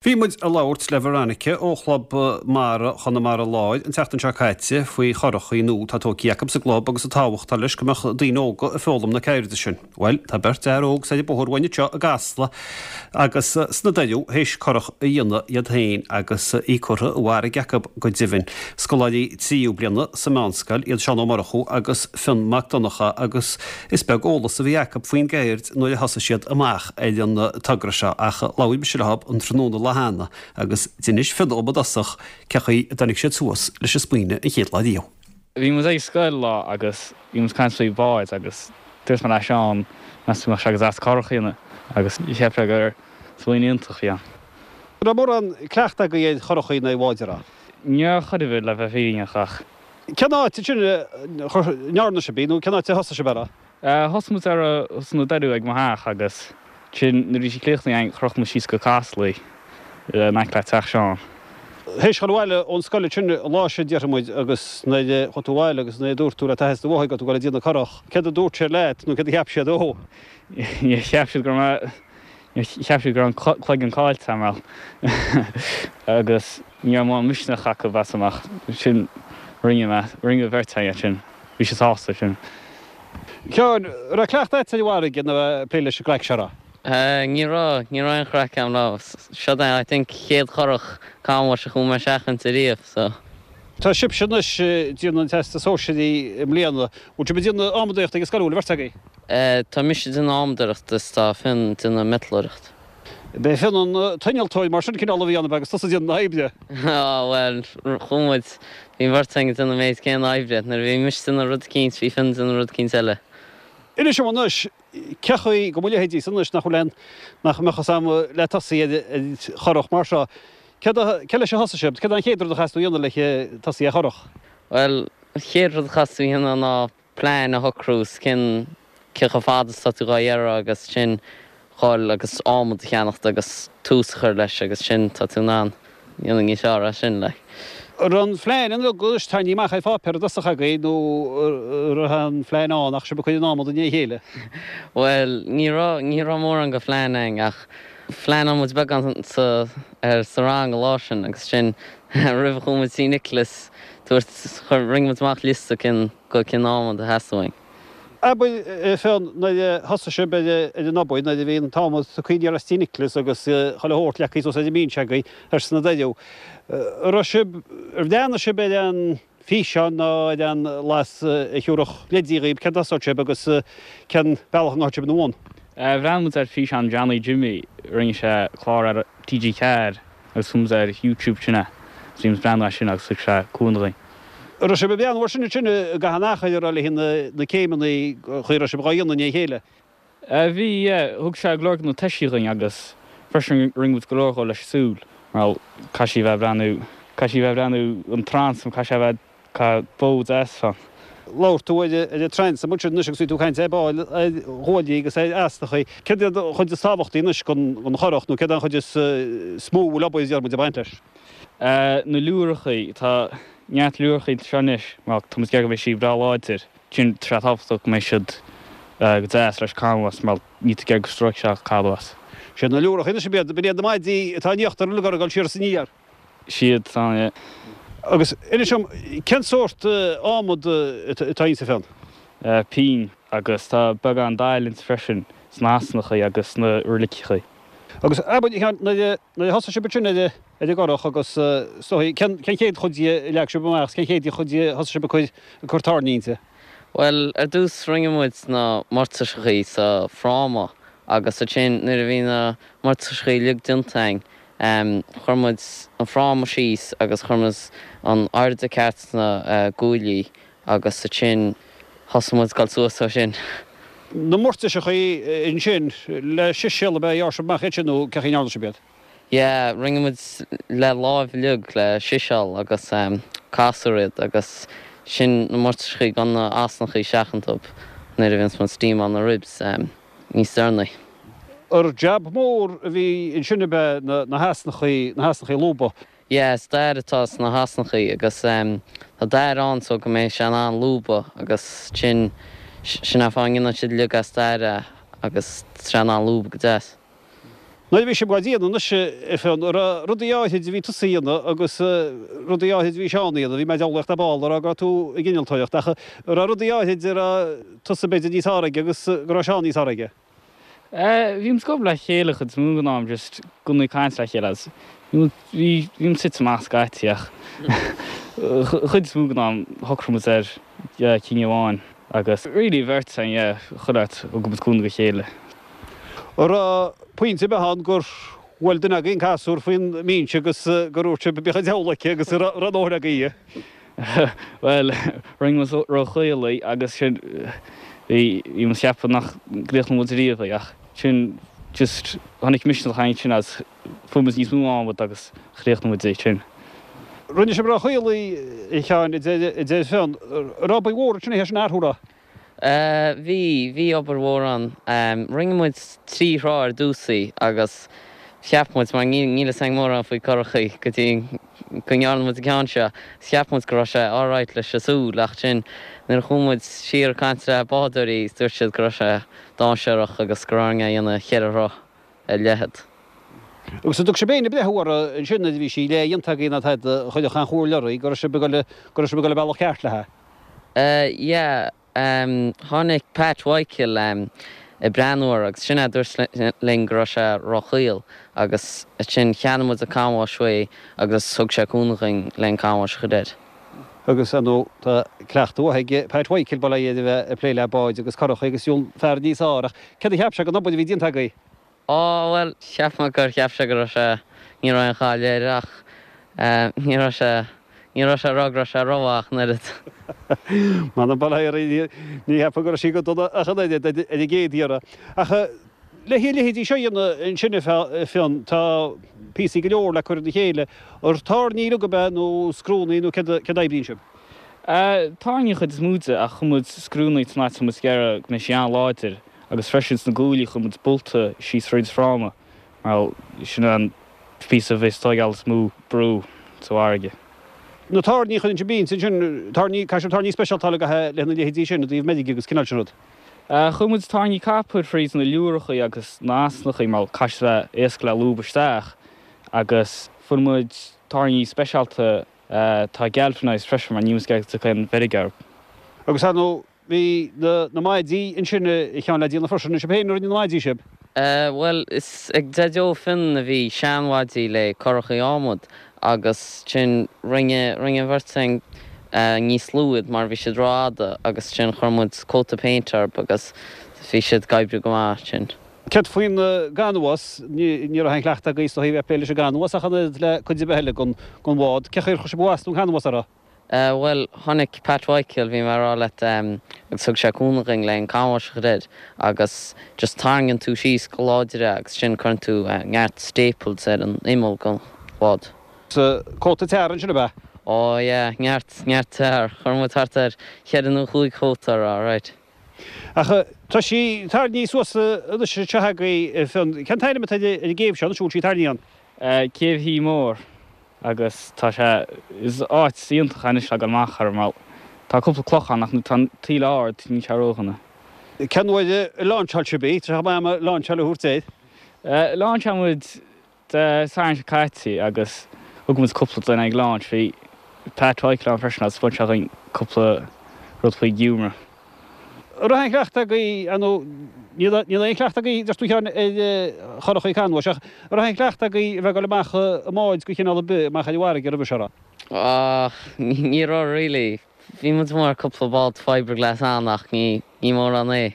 Bhí muid ag labhairt le Veronica ó Chlub Mara Chonamara Láir an tseachtain seo caite faoi churachaí nua atá tógtha acu sa gclub agus an tábhacht atá leis go mbeadh daoine óga ag foghlaim na ceirde sin. Bhuel, tá beirt fhear óg soir an bóthar uainn anseo i gCasla agus sna Doiriú théis curach a dhéanamh iad féin agus í curtha i bhfarraige acu go deimhin. Scoláirí tríú bliana sa meánscoil iad Seán Ó Murchú agus Fionn Mac Donncha agus is beag eolas a bhí acu faoin gceird nuair a thosaigh siad amach ar an togra seo ach labhair mise leo an tráthnóna lá cheana agus d'inis Fionn dom i dtosach cé chaoi a dtáinig siad suas leis an smaoineamh an chéad lá riamh. Bhí muid ag scoil lá agus bhí muid ag caint faoi bháid agus dúirt mé le Seán meas tú mbeadh sé go deas curach a dhéanamh agus cheap sé gur smaoineamh iontach a bhí ann. An raibh mórán cleachta agaibh ar churachaí nó ar bháid, an raibh? Ní raibh chor ar bith le bheith fírinneach ach. Cén áit ansin a ndearna sibh í nó cén áit a thosaigh sibh uirthi? Thosaigh muid uirthi sna Doiriú ag mo theach agus ansin nuair a bhí sí críochnaithe againn chroch muid síos go Casla í in aice le teach Seán. Théis dhul abhaile ón scoil ansin an lá sin déarfaidh muid agus nuair a chuaigh tú abhaile agus nuair a dúirt tú le d'athair is do mháthair go raibh tú ag dul ag déanamh curach, céard a dúirt siad leat nó céard a cheap siad ó? Níor cheap siad go raibh mé, níor cheap siad go raibh an cloigeann caillte agam bhuel agus ní raibh mórán misneach acu mheasaim ach sin rinne mé, rinne an bheirt againn sin. Bhí siad sásta sin. Sheáin, an raibh cleachtadh agat ar an bhfarraige nó ag plé leis an gcraic seo, raibh? Ní raibh, ní raibh aon chraic agam raibh. Seo é I think chéad churach canbháis a chuaigh mé isteach inti riamh so. Tá sibhse anois ag déanamh an Teastas Sóisearaigh i mbliana. Bhfuil sibh ag déanamh adhmadaíochta ag an scoil, an bhfuil an bheirt agaibh? Tá mise ag déanamh adhmadóireachta is tá Fionn ag déanamh miotalóireacht. B'é Fionn an t-innealtóir mar sin cineál a bhí ann ab ea agus tusa ag déanamh na hoibre? Á, bhuel, chuaigh muid, bhí an bheirt againn ag déanamh an méid céanna oibre. Nuair a bhí mise ag déanamh rud eicínt, bhí Fionn ag déanamh rud eicínt eile. Inis dom anois, cé chaoi go mo leithéidísa anois nach bhfuil aon, nach mbeadh fhios a'm le tosaí ar churach mar seo, céard a, cé leis a thosaigh sibh, céard é an chéad rud a chaithfeas tú a dhéanamh le tosaí ar churach? Bhuel, an chéad rud a chaithfeas tú a dhéanamh ná plean a shocrú is cén cé chomh fada is tá tú dhá iarraidh agus sin dhul agus adhmad a cheannacht agus tús a chur leis agus sin tá tú in ann dhéanamh níos fearr as sin like. An raibh an phlean an rud anois tarraingthe amach ar pháipéar i dtosach agaibh nó an raibh an phlean ann ach sibh ag cur an adhmad i ndiaidh a chéile? Bhuel ní raibh ní raibh mórán de phlean againn ach phleanáil muid beagán sa ar sa rang an lá sin agus sin roimh a chuaigh muid tí Nicholas dúirt chuir rinne muid amach liosta cén go cén adhmad a theastaigh uainn. Abair, a Fionn, nuair a thosaigh sibh ar an obair, nuair a bhí an t-adhmad tugtha aniar as tí Nicholas agus chuile shórt leagtha suas ar an mbinse agaibh thoir sna Doiriú, an raibh sibh, ar bhreathnaigh sibh ar an físeán nó ar an bhlas a thiúrfadh leidí dhaoibh céard a thosódh sibh agus cén bealach a ngabhfadh sibh ina bhun? Bhreathnaigh muid ar físeán Johnny Jimmy, rinne sé clár ar TG4 agus fuair muid ar YouTube sin é agus bhí muid ag breathnú air sin agus thug sé cúnamh dúinn. An raibh sibh ag breathnú air sin ansin i gcaitheamh an achair a raibh le na céimeanna chaoi a raibh sibh dhá dhéanamh i ndiaidh a chéile? Bhí, yeah. Thug sé go leor de na toisí dhuinn agus freisin rinne muid go leor dhó leis an súil mar caithfidh sí a bheith ag breathnú, caithfidh sí a bheith ag breathnú an transom, caithfidh sé a bheith, caithfidh bó deas fan. Labhair tú ar an transom ansin anois agus bhí tú ag caint ar ball ar ghuaillí agus ar easnachaí. Céard iad an chuid is tábhachtaí anois den churach nó céard é an chuid is mó a bhfuil obair déarfaidh muid ag baint leis? Na liúrachaí, tá neart liúrachaí anseo anois mar tá muid ag iarraidh go mbeidh sí breá láidir. Sin, tá sé tábhachtach go mbeidh siad go deas leis canbhás mar níl tú ag iarraidh go stróicfidh sé canbhás. Siad na liúrachaí anois ab iad, b'in iad na maidí atá in íochtar uilig ag dul siar is aniar. Siad, tá, yeah. Agus inis dom, cén sórt adhmad atá insa Fionn? Pín, agus tá beagán dail inti freisin, sna heasnachaí agus sna roiliceachaí. Agus abair, a Sheáin, nuair a thosaigh sibh ansin ar an gcurach agus is dóigh, cén chéad chuid di a leag sibh amach agus cén chéad chuid di a thosaigh sibh ag cur, ag cur tairní inti? Bhuel, ar dtús rinne muid na moirtiseachaí sa fráma agus ansin nuair a bhí na moirtiseachaí uilig déanta againn, chuir muid an fráma síos agus chuir muid an airde ceart sna guaillí agus ansin thosaigh muid ag dul suas ó sin. Na moirtiseachaí ansin, le siséal ab ea a ghearr sibh amach iad sin nó cé chaoi a ndearna sibh iad? Yeah, rinne muid le láimh uilig le siséal agus casúr iad agus sin na moirtiseachaí gan na easnachaí isteach iontu nuair a bhíonns muid ag steamáil na ribs níos deireanaí. Ar jab mór a bhí ansin ab ea na heasnachaí, na heasnachaí a lúbadh? Yeah, is dair atá sna heasnachaí agus tá dair ann so go mbeidh sé in ann lúbadh agus sin, sin an fáth a ndéanann siad uilig as dair é agus tá sé in ann lúbadh go deas. Nuair a bhí sibh á déanamh anois, a Fhionn, an raibh rudaí áithrid a bhí tusa a dhéanamh agus rudaí áithrid a bhí Seán a dhéanamh, bhí mé ag diabhlaíocht ar ball ag rá go raibh tú ag innealtóireacht, ach an raibh rudaí áithrid a raibh tusa b'fhéidir níos fearr aige agus go raibh Seán níos fearr aige? Bhí muid ag obair le chéile chuid is mó den am, just i gcónaí ag caint le chéile agus bhí bhí muid tite amach scaití ach chuid is mó den am shocraigh muid ar cinneadh amháin agus really bheirt againn yeah chuile áit thug muid cúnamh dá chéile. An raibh pointe ar bith ann gur bhuail duine agaibh an casúr faoin mbinse agus gur dhúirt sibh bíodh an diabhal aici agus an raibh a ndóthain agaibh? Bhuel, rinne muid róchaol í agus sin, bhí, bhí muid ag ceapadh nach gcríochnódh muid riamh í ach sin just, tháinig misneach againn sin agus fuair muid níos mó adhmad agus chríochnaigh muid í sin. Rinne sibh róchaol í, a Sheáin, a deir Fionn. An raibh obair mhór ansin oíche sin a athrú raibh? Bhí, bhí obair mhór ann. Rinne muid trí throigh ar dtús í agus cheap muid, mar níl fhios againn mórán faoi curachaí go dtí go ndearna muid an ceann seo, cheap muid go raibh sé alright leis an súil ach sin nuair a chuaigh muid siar ag caint le bádóirí dúirt siad go raibh sé dainséarach agus go raibh orainn é a dhéanamh cheithre throigh ar leithead. Agus an dtug sibh éinne breithiú uirthi ansin nuair a bhí sí leathdhéanta agaibh ná tada a chuirfeadh aon chomhairle oraibh go raibh sibh ag dul, go raibh sibh ag dul an bealach ceart léi? Yeah, tháinig Pat Mhichael ag breathnú air agus sin é a dúirt linn go raibh sé róchaol agus ansin cheannaigh muid an canbhás uaidh agus thug sé cúnamh dhuinn le an canbhás a chur air. Agus, ar ndóigh, tá cleachtadh mhaith ag Pat Mhichael, bail ó Dhia air, a bheith ag plé le báid agus curachaí agus an fear níos fearr ach céard a cheap sé den obair a bhí déanta agaibh? Á, bhuel, cheap mé gur cheap sé go raibh sé, ní raibh aon chaill air ach ní raibh sé, ní raibh sé ag rá go raibh sé rómhaith ach an oiread. M'anam bail ó Dhia air, ní cheapfainn go raibh sí go dona ach an oiread ar an gcéad iarraidh. Ach le a leithéidí seo a dhéanamh ansin a Fhionn, tá píosaí go leor le cur ina chéile. Ar tairní uilig ab ea nó scriúnnaí nó céard a oibríonn sibh? Tairní an chuid is mó de ach chuir muid scriúnnaí san áit tá muid ag iarraidh go mbeidh sí an-láidir. Agus freisin sna guaillí chuir muid bolta síos thríd an fráma mar sin an píosa a bheas ag tóigeáil is mó brú sa bhfarraige. Na tairní a chuireann sibh inti ansin, tairní, caithfidh sibh tairní speisialta a fháil le na leithéidí sin i dtaobh meirge agus cineál sin rud. Chuir muid tairní copair thríd na liúrachaí agus na asnachaí mar caithfidh sé bheith éasca le lúb isteach agus fuair muid tairní speisialta atá galvanised freisin mar níl muid ag iarraidh go dtiocfaidh aon mheirg orthu. Agus ar ndóigh Bhí na maidí ansin a Sheáin le déanamh freisin. An sibh féin a rinne na maidí, sibh? Bhuel, is ag Daideo Fionn a bhí seanmhaidí le curachaí adhmad agus sin rinne, rinne an bheirt againn níos lú iad mar bhí siad rófhada agus sin chuir muid cóta péinte orthu agus bhí siad ag oibriú go maith ansin. Céard faoin gcanbhás? Ní raibh aon chleachtadh agaibh is dóigh a bheith ag plé leis an gcanbhás ach an oiread le cuid ar bith eile den bhád. Cén chaoi ar chuir sibh an mhast nó an canbhás orthu? Bhuel, tháinig Pat Mhichael, bhí mé ag rá leat, agus thug sé cúnamh dhuinn le an canbhás a chur air agus just tarraingíonn tú síos go láidir é agus sin cuireann tú neart staples ar an imeall den bhád. Cóta tar ansin ab ea? Ó yeah, neart, neart tar. Chuir muid thart ar cheithre nó chúig chóta air, alright. Ach tá sí tarraingthe suas anois anseo agaibh, Fionn. Cén t-ainm atá ar an gcéibh seo anois a bhfuil sí tarraingthe ann? Céibh Thí Mór. agus tá sé, is áit iontach é anois le dul amach air mar tá cúpla cloch ann ach nuair atá an taoille ard níl sé ródhona. Cén uair a láinseáil sibh í? Tá sé chomh maith ama láinseáil a thabhairt air. Láinseáil muid Dé Sathairn seo caite agus thug muid cúpla duine ag launch. Bhí Pat Mhichael ann freisin agus bhain sé againn cúpla rud faoi ghiúmar. An raibh aon chleachtadh agaibh, ar ndóigh, níl aon chleachtadh agaibh, deir tú a Sheáin, ar churachaí canbháis, ach an raibh aon chleachtadh agaibh a bheith ag dul amach i mbáid de chineál ar bith, amach ar an bhfarraige roimhe seo, raibh? Ah, ní raibh really. Bhí muid amuigh ar cúpla bád fiberglass ann ach ní mórán é.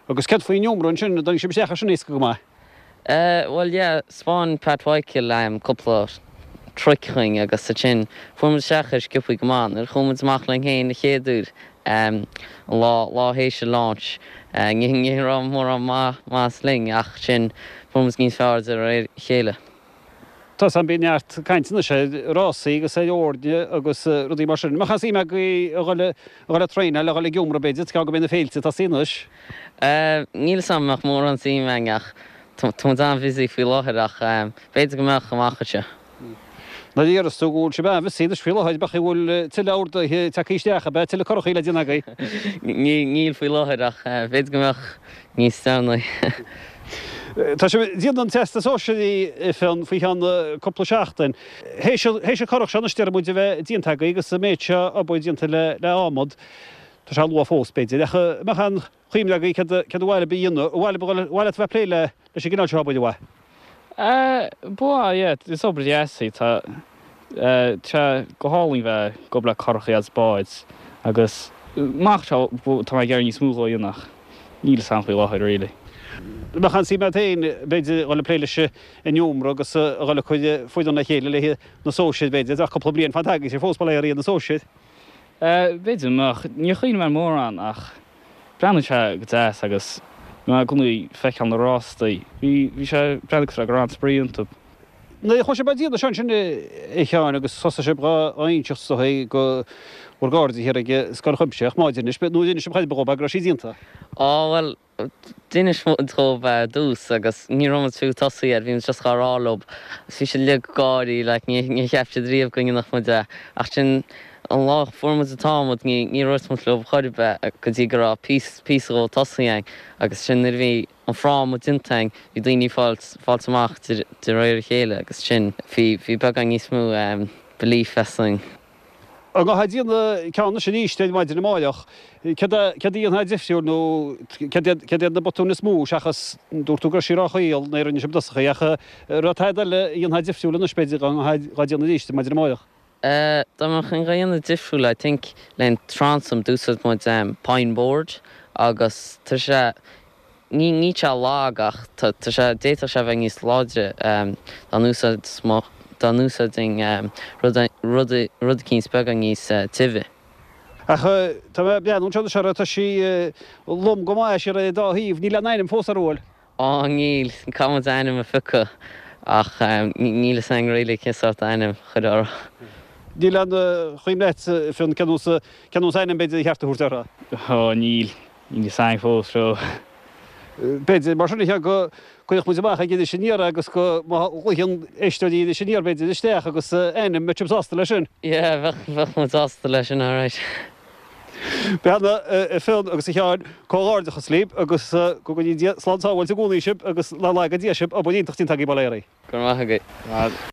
Agus céard faoin iomramh ansin, an dtáinig sibh isteach air sin éasca go maith? Eh, bhuel yeah, 'spáin Pat Mhichael cúpla trick dhuinn agus ansin fuair muid isteach air sciobthaí go maith. Nuair a chuaigh muid amach linn féin an chéad uair, an lá, lá théis an launch, ní, ní raibh mórán maith, maitheas linn ach ansin fuair muid níos fearr de réir a chéile. Tá 's agam bíonn neart cainte anois ar rásaí agus ar fhoirne agus rudaí mar sin. An mbeadh aon suim agaibh a dhul a dhul ag traenáil, a dhul ag iomramh b'fhéidir, tá go mbeidh na féilte ag tosaí anois? Níl 'fhios a'm an mbeadh mórán suim againn ach tá muid an-bhusy faoi láthair ach b'fhéidir go mbeadh amach anseo. Nuair a déarfas tú go bhfuil sibh an-bhusy anois faoi láthair, b'fhéidir go bhfuil tuilleadh orduithe tagtha isteach, ab ea, tuilleadh curachaí le déanamh agaibh? Níl faoi láthair ach b'fhéidir go mbeadh níos deireanaí. Tá sibh ag déanamh an Teastas Sóisearaigh, a Fhionn, faoi cheann cúpla seachtain. Théis an curach seo anois déarfaidh muid a bheith déanta agaibh agus an méid seo obair déanta le adhmad, tá sé luath fós b'fhéidir, ach an mbeadh aon chuimhne agaibh céard ba mhaith libh a dhéanamh, ar mhaith leat a bheith ag plé leis an gcineál seo obair, ar mhaith? Ba mhaith, yeah. Is obair dheas í. Tá sé go hálainn bheith ag obair le curachaí agus báid agus amach anseo tá mé ag iarraidh níos mó dhó a dhéanamh ach níl fhios a'm faoi láthair really. Bheadh an-suim agat féin, b'fhéidir, dhul ag plé leis an iomra agus a dhul ag cur foireann le chéile le haghaidh na sóisir, b'fhéidir, ach cúpla bliain fanta agaibhse fós, bail ó Dhia ar na sóisir. B'fhéidir go mbeadh. Níor chuimhnigh mé mórán ach breathnaíonn sé go deas agus mé i gcónaí ag feiceáil na rástaí. Bhí, bhí sé, breathnaigh cosúil le go raibh an-spraoi iontu. Nuair a chuaigh sibh á déanamh seo ansin a Sheáin agus thosaigh sibh dhá inseacht is dóigh do bhur gcairde thiar ag Scoil Chuimsitheach, má d'inis, nó ar inis sibh chor ar bith dhóibh go raibh sí déanta? Á bhuel, d'inis muid dhóibh ar dtús agus ní raibh muid fiú tosaithe air, bhí muid just dhá rá leob agus bhí siad uilig ag gáirí like ní níor cheap siad riamh go ndéanfadh muid é ach sin an lá a fuair muid an t-adhmad ní ní dhúirt muid leob chor ar bith go dtí go raibh píosa píosa dhó tosaithe againn agus sin nuair a bhí an fráma déanta againn, bhí daoine ag fáilt, fáilt amach de, de réir a chéile agus sin, bhí, bhí beagán níos mó belief asainn. Dá mbeifeá ag déanamh ceann anois arís ar maidin amáireach, céard a, céard a dhéanfá difriúil nó céard iad, céard iad na botúin is mó seachas, dúirt tú go raibh sí róchaol nuair a rinne sibh i dtosach í ach an raibh tada eile a dhéanfá difriúil anois b'fhéidir dá mbeifeá dhá déanamh arís ar maidin amáireach? Dá mbeinn dhá dhéanamh difriúil I think leis an transom d'úsáid muid pine board agus tá sé, ní, níl sé lag ach tá, tá sé, d'fhéadfadh sé a bheith níos láidre dá n-úsáid, dá n-úsáidfinn rud, rud, rud eicínt beagán níos tibhe. Ach tá mé ag breathnú anseo anois uirthi, tá sí lom go maith siar ar an dá thaobh, níl aon ainm fós uirthi an bhfuil? Á, níl. Caithfidh muid ainm a phiocadh ach níl fhios againn really cén sórt ainm a chur uirthi. Níl aon chuimhne agat, Fionn, cén nós, cén nós ainm b'fhéidir ba cheart a thabhairt uirthi? Á, níl. Níl fhios againn fós, so. B'fhéidir, mar sin, a Sheáin, go gcuirfeadh muid amach ag Iris Aniar é agus go, má ghlaodhann éisteoirí Iris Aniar, b'fhéidir, isteach agus ainm, mbeadh sibh sásta leis sin? Yeah, bheadh, bheadh muid sásta leis sin, alright. Beanna, a Fhionn agus a Sheáin, comhghairdeachas libh agus go gcoinní Dia slán sábháilte i gcónaí sibh agus nár laga Dia sibh, obair iontach déanta agaibh, bail ó Dhia oraibh. Go raibh maith agat.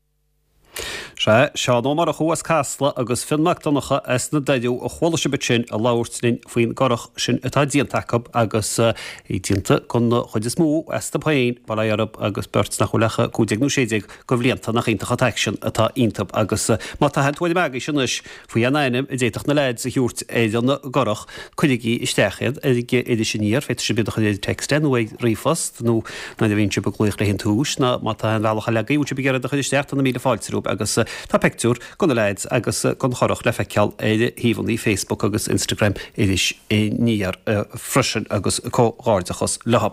Sea, Seán Ó Murchú as Casla agus Fionn Mac Donncha as na Doiriú a chuala sibh ansin ag labhairt linn faoin gcurach sin atá déanta acu agus í déanta den chuid is mó astu féin, bail ó Dhia orthu, agus beirt nach bhfuil ach 15 nó 16 de bhlianta, nach iontach an t-aicsean atá iontu agus má tá aon tuairim agaibhse anois Faoi aon ainm a d'fhéadfadh na leaids a thabhairt ar an gcurach, cuirigí isteach iad ar Iris Aniar, féadfaidh sibh iad a chur ar text nó ar ríomhphost nó nuair a bhíonn sibh ag glaoch le haghaidh an tomhais nó má tá aon bhealach eile agaibh, bhfuil sibh ag iarraidh iad a chur isteach, tá na míle fáilte romhaibh agus tá pictiúr de na leaids agus den churach le feiceáil ar shuíomhanna Facebook agus Instagram Iris Aniar freisin agus comhghairdeachas leo.